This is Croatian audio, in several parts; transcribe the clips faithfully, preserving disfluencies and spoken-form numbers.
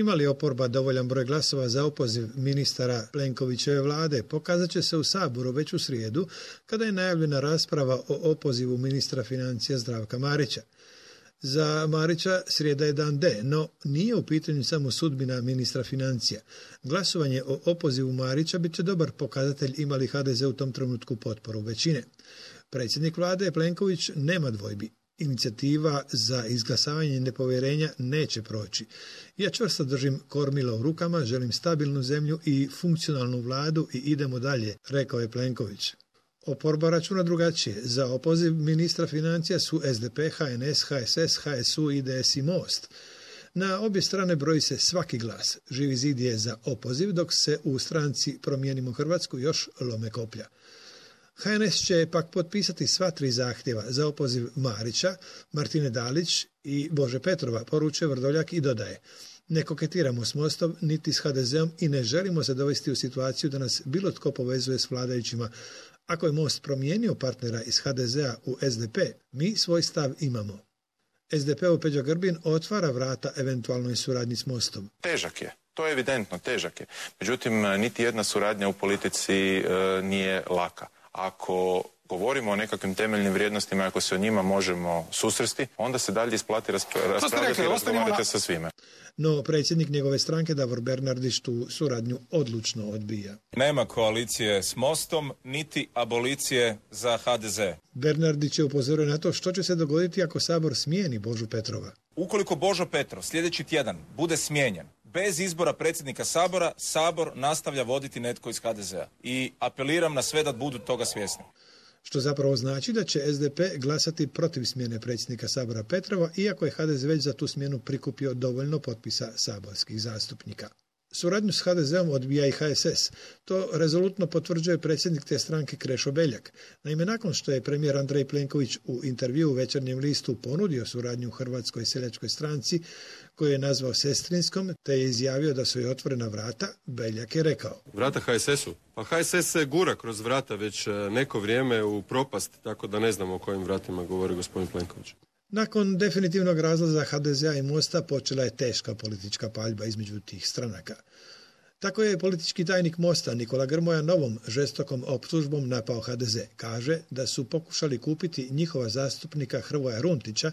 Ima li oporba dovoljan broj glasova za opoziv ministara Plenkovićeve vlade, pokazat će se u Saboru već u srijedu, kada je najavljena rasprava o opozivu ministra financija Zdravka Marića. Za Marića srijeda je dan D, no nije u pitanju samo sudbina ministra financija. Glasovanje o opozivu Marića bit će dobar pokazatelj ima li H D Z u tom trenutku potporu većine. Predsjednik vlade Plenković nema dvojbi. Inicijativa za izglasavanje nepovjerenja neće proći. Ja čvrsto držim kormilo u rukama, želim stabilnu zemlju i funkcionalnu vladu i idemo dalje, rekao je Plenković. Oporba računa drugačije. Za opoziv ministra financija su S D P, H N S, H S S, H S U, I D S i Most. Na obje strane broji se svaki glas. Živi zid je za opoziv, dok se u stranci Promijenimo Hrvatsku još lome koplja. H N S će pak potpisati sva tri zahtjeva za opoziv Marića, Martine Dalić i Bože Petrova, poručuje Vrdoljak i dodaje: ne koketiramo s Mostom niti s H D Z-om i ne želimo se dovesti u situaciju da nas bilo tko povezuje s vladajućima. Ako je Most promijenio partnera iz H D Z-a u S D P, mi svoj stav imamo. S D P-u Peđa Grbin otvara vrata eventualnoj suradnji s Mostom. Težak je, to je evidentno, težak je. Međutim, niti jedna suradnja u politici e, nije laka. Ako govorimo o nekakvim temeljnim vrijednostima, ako se o njima možemo susresti, onda se dalje isplati raspravljati i razgovarati sa svime. No, predsjednik njegove stranke Davor Bernardić tu suradnju odlučno odbija. Nema koalicije s Mostom, niti abolicije za H D Z. Bernardić je upozorio na to što će se dogoditi ako Sabor smijeni Božu Petrova. Ukoliko Božo Petrov sljedeći tjedan bude smijenjen, bez izbora predsjednika Sabora, Sabor nastavlja voditi netko iz H D Z-a. I apeliram na sve da budu toga svjesni. Što zapravo znači da će S D P glasati protiv smjene predsjednika Sabora Petrova, iako je H D Z već za tu smjenu prikupio dovoljno potpisa saborskih zastupnika. Suradnju s H D Z-om odbija i H S S. To rezolutno potvrđuje predsjednik te stranke Krešo Beljak. Naime, nakon što je premijer Andrej Plenković u intervjuu u Večernjem listu ponudio suradnju u Hrvatskoj seljačkoj stranci, koju je nazvao sestrinskom, te je izjavio da su joj otvorena vrata, Beljak je rekao: vrata H S S-u? Pa H S S se gura kroz vrata već neko vrijeme u propast, tako da ne znamo o kojim vratima govori gospodin Plenković. Nakon definitivnog razlaza H D Z-a i Mosta počela je teška politička paljba između tih stranaka. Tako je politički tajnik Mosta Nikola Grmoja novom žestokom optužbom napao H D Z. Kaže da su pokušali kupiti njihova zastupnika Hrvoja Runtića,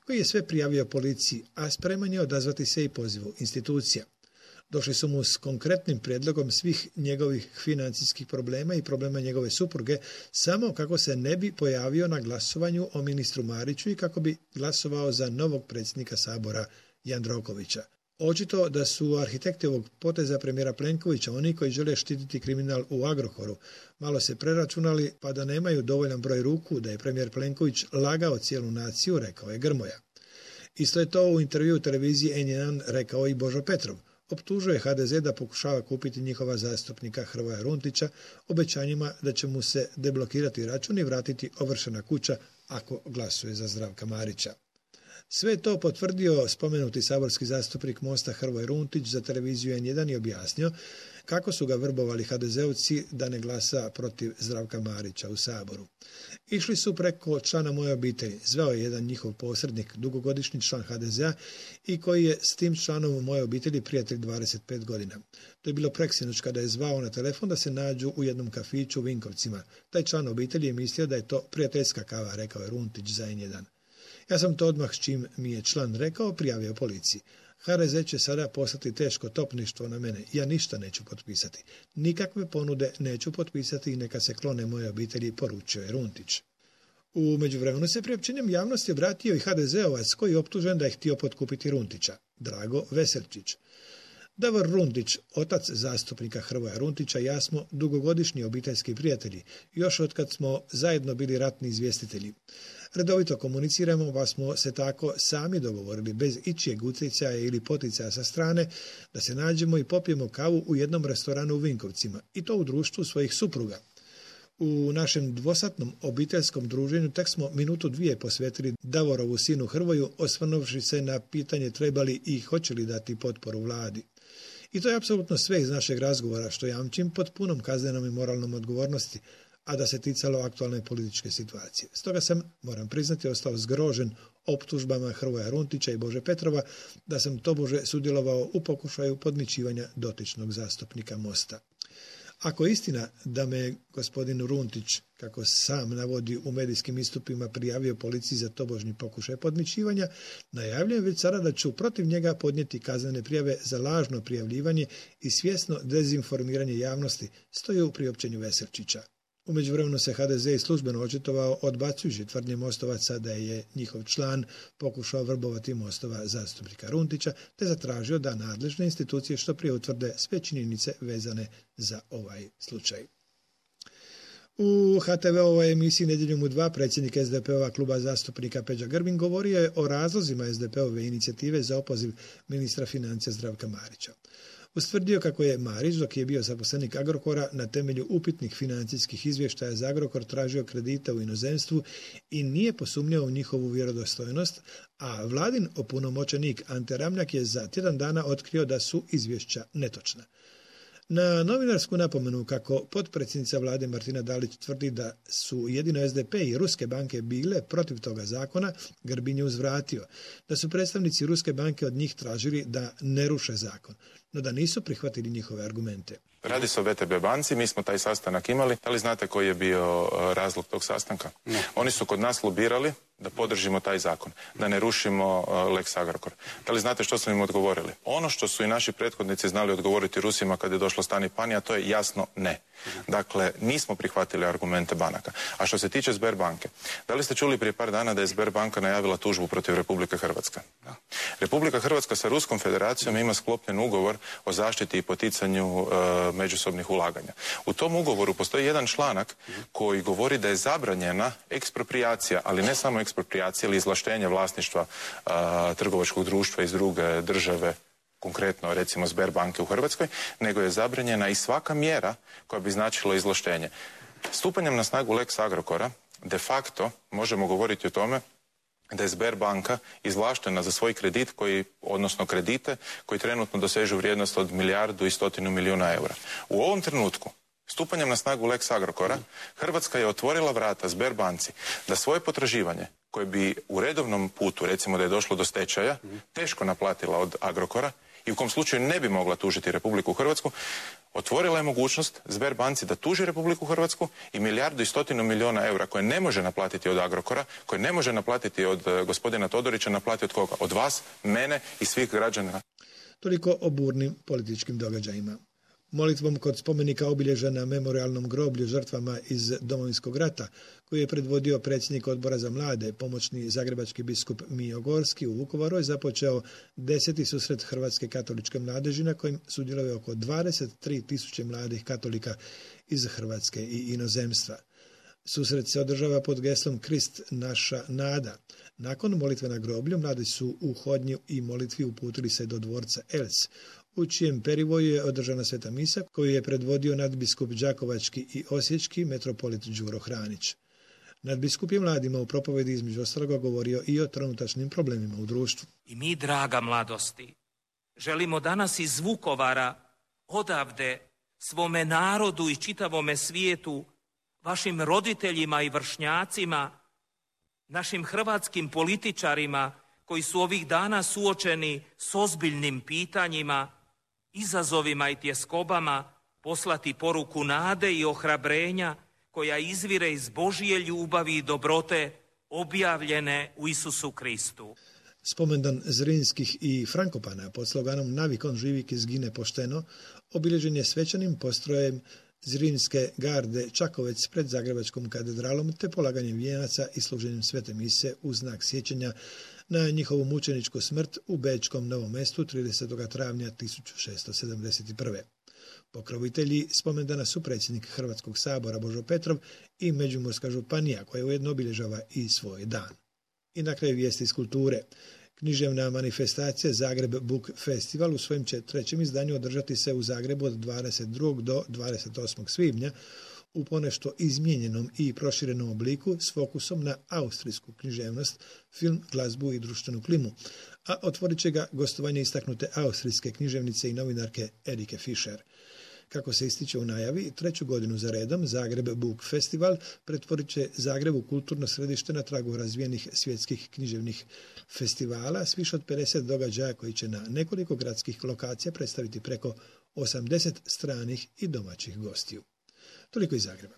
koji je sve prijavio policiji, a spreman je odazvati se i pozivu institucija. Došli su mu s konkretnim prijedlogom svih njegovih financijskih problema i problema njegove supruge, samo kako se ne bi pojavio na glasovanju o ministru Mariću i kako bi glasovao za novog predsjednika Sabora Jandrokovića. Očito da su arhitekti ovog poteza premijera Plenkovića oni koji žele štititi kriminal u Agrokoru. Malo se preračunali pa da nemaju dovoljan broj ruku da je premijer Plenković lagao cijelu naciju, rekao je Grmoja. Isto je to u intervjuu televiziji N jedan rekao i Božo Petrov. Optužuje H D Z da pokušava kupiti njihova zastupnika Hrvoja Runtića obećanjima da će mu se deblokirati račun i vratiti ovršena kuća ako glasuje za Zdravka Marića. Sve to potvrdio spomenuti saborski zastupnik Mosta Hrvoje Runtić za televiziju N jedan i objasnio kako su ga vrbovali ha de zeovci da ne glasa protiv Zdravka Marića u Saboru. Išli su preko člana moje obitelji. Zvao je jedan njihov posrednik, dugogodišnji član ha de zea i koji je s tim članom moje obitelji prijatelj dvadeset pet godina. To je bilo preksinoć kada je zvao na telefon da se nađu u jednom kafiću u Vinkovcima. Taj član obitelji je mislio da je to prijateljska kava, rekao je Runtić za N jedan. Ja sam to odmah s čim mi je član rekao prijavio policiji. ha de ze će sada poslati teško topništvo na mene. Ja ništa neću potpisati. Nikakve ponude neću potpisati i neka se klone moje obitelji, poručio je Runtić. U međuvremenu se priopćenjem javnosti obratio i ha de zeovac koji je optužen da je htio potkupiti Runtića, Drago Veselčić. Davor Runtić, otac zastupnika Hrvoja Runtića, ja smo dugogodišnji obiteljski prijatelji, još od kad smo zajedno bili ratni izvjestitelji. Redovito komuniciramo, pa smo se tako sami dogovorili, bez ičijeg utjecaja ili poticaja sa strane, da se nađemo i popijemo kavu u jednom restoranu u Vinkovcima, i to u društvu svojih supruga. U našem dvosatnom obiteljskom druženju tek smo minutu dvije posvetili Davorovu sinu Hrvoju, osvrnuvši se na pitanje trebali i hoće li dati potporu vladi. I to je apsolutno sve iz našeg razgovora, što jamčim pod punom kaznenom i moralnom odgovornosti, a da se ticalo aktualne političke situacije. Stoga sam, moram priznati, ostao zgrožen optužbama Hrvoja Runtića i Bože Petrova da sam tobože sudjelovao u pokušaju podmićivanja dotičnog zastupnika Mosta. Ako je istina da me gospodin Runtić, kako sam navodi u medijskim istupima, prijavio policiji za tobožnji pokušaj podmićivanja, najavljujem već sada da ću protiv njega podnijeti kaznene prijave za lažno prijavljivanje i svjesno dezinformiranje javnosti, stoji u priopćenju Veselčića. U međuvremenu se ha de ze i službeno očitovao odbacujući tvrdnje Mostovaca da je njihov član pokušao vrbovati Mostova zastupnika Runtića, te zatražio da nadležne institucije što prije utvrde sve činjenice vezane za ovaj slučaj. U ha te ve-ovoj emisiji Nedjeljom u dva predsjednik es de pe-ova kluba zastupnika Peđa Grbin govorio je o razlozima es de pe-ove inicijative za opoziv ministra financija Zdravka Marića. Ustvrdio kako je Marić, dok je bio zaposlenik Agrokora, na temelju upitnih financijskih izvještaja za Agrokor tražio kredite u inozemstvu i nije posumnjao u njihovu vjerodostojnost, a vladin opunomoćenik Ante Ramljak je za tjedan dana otkrio da su izvješća netočna. Na novinarsku napomenu kako potpredsjednica vlade Martina Dalić tvrdi da su jedino es de pe i ruske banke bile protiv toga zakona, Grbin je uzvratio da su predstavnici ruske banke od njih tražili da ne ruše zakon, no da nisu prihvatili njihove argumente. Radi se o ve te be banci, mi smo taj sastanak imali. Da li znate koji je bio razlog tog sastanka? Ne. Oni su kod nas lobirali da podržimo taj zakon, da ne rušimo Lex Agrokor. Da li znate što smo im odgovorili? Ono što su i naši prethodnici znali odgovoriti Rusima kad je došlo stanje panija, to je jasno ne. Dakle, nismo prihvatili argumente banaka. A što se tiče Sberbanke, da li ste čuli prije par dana da je Sberbanka najavila tužbu protiv Republike Hrvatske? Da. Republika Hrvatska sa Ruskom federacijom ima sklopljen ugovor o zaštiti i poticanju e, međusobnih ulaganja. U tom ugovoru postoji jedan članak koji govori da je zabranjena eksproprijacija, ali ne samo eksproprijacija ili izvlaštenje vlasništva a, trgovačkog društva iz druge države, konkretno recimo Sberbanke u Hrvatskoj, nego je zabranjena i svaka mjera koja bi značila izvlaštenje. Stupanjem na snagu Lex Agrokora de facto možemo govoriti o tome da je Sberbanka izvlaštena za svoj kredit, koji, odnosno kredite koji trenutno dosežu vrijednost od milijardu i stotinu milijuna eura. U ovom trenutku, stupanjem na snagu Lex Agrokora, Hrvatska je otvorila vrata Sberbanci da svoje potraživanje, koje bi u redovnom putu, recimo da je došlo do stečaja, teško naplatila od Agrokora i u kom slučaju ne bi mogla tužiti Republiku Hrvatsku, otvorila je mogućnost Sberbanci da tuži Republiku Hrvatsku i milijardu i stotinu milijuna eura koje ne može naplatiti od Agrokora, koje ne može naplatiti od uh, gospodina Todorića, naplati od koga? Od vas, mene i svih građana. Toliko o burnim političkim događajima. Molitvom kod spomenika obilježja na memorialnom groblju žrtvama iz Domovinskog rata, koji je predvodio predsjednik Odbora za mlade, pomoćni zagrebački biskup Mijo Gorski u Vukovaru, je započeo deseti susret Hrvatske katoličke mladeži na kojim sudjeluje oko dvadeset tri tisuće mladih katolika iz Hrvatske i inozemstva. Susret se održava pod geslom Krist naša nada. Nakon molitve na groblju, mladi su u hodnju i molitvi uputili se do dvorca Elc, u čijem perivoju je održana sveta misa koju je predvodio nadbiskup Đakovački i Osječki metropolit Đuro Hranić. Nadbiskup je mladima u propovedi između ostaloga govorio i o trenutačnim problemima u društvu. I mi, draga mladosti, želimo danas iz Vukovara odavde svome narodu i čitavome svijetu, vašim roditeljima i vršnjacima, našim hrvatskim političarima koji su ovih dana suočeni s ozbiljnim pitanjima, izazovima i tjeskobama, poslati poruku nade i ohrabrenja koja izvire iz Božje ljubavi i dobrote objavljene u Isusu Kristu. Spomendan Zrinskih i Frankopana pod sloganom Navikon živik izgine pošteno obilježen je svečanim postrojem Zrinske garde Čakovec pred Zagrebačkom katedralom te polaganjem vijenaca i služenjem svete mise u znak sjećanja na njihovu mučeničku smrt u Bečkom Novom Mestu tridesetog travnja tisuću šesto sedamdeset prve. Pokrovitelji spomendana su predsjednik Hrvatskog sabora Božo Petrov i Međimurska županija koja ujedno obilježava i svoj dan. I na kraju vijesti iz kulture. Književna manifestacija Zagreb Book Festival u svojem će trećem izdanju održati se u Zagrebu od dvadeset drugog do dvadeset osmog svibnja u ponešto izmijenjenom i proširenom obliku s fokusom na austrijsku književnost, film, glazbu i društvenu klimu, a otvorit će ga gostovanje istaknute austrijske književnice i novinarke Erike Fischer. Kako se ističe u najavi, treću godinu za redom Zagreb Book Festival pretvorit će Zagreb u kulturno središte na tragu razvijenih svjetskih književnih festivala s više od pedeset događaja koji će na nekoliko gradskih lokacija predstaviti preko osamdeset stranih i domaćih gostiju. Toliko iz Zagreba.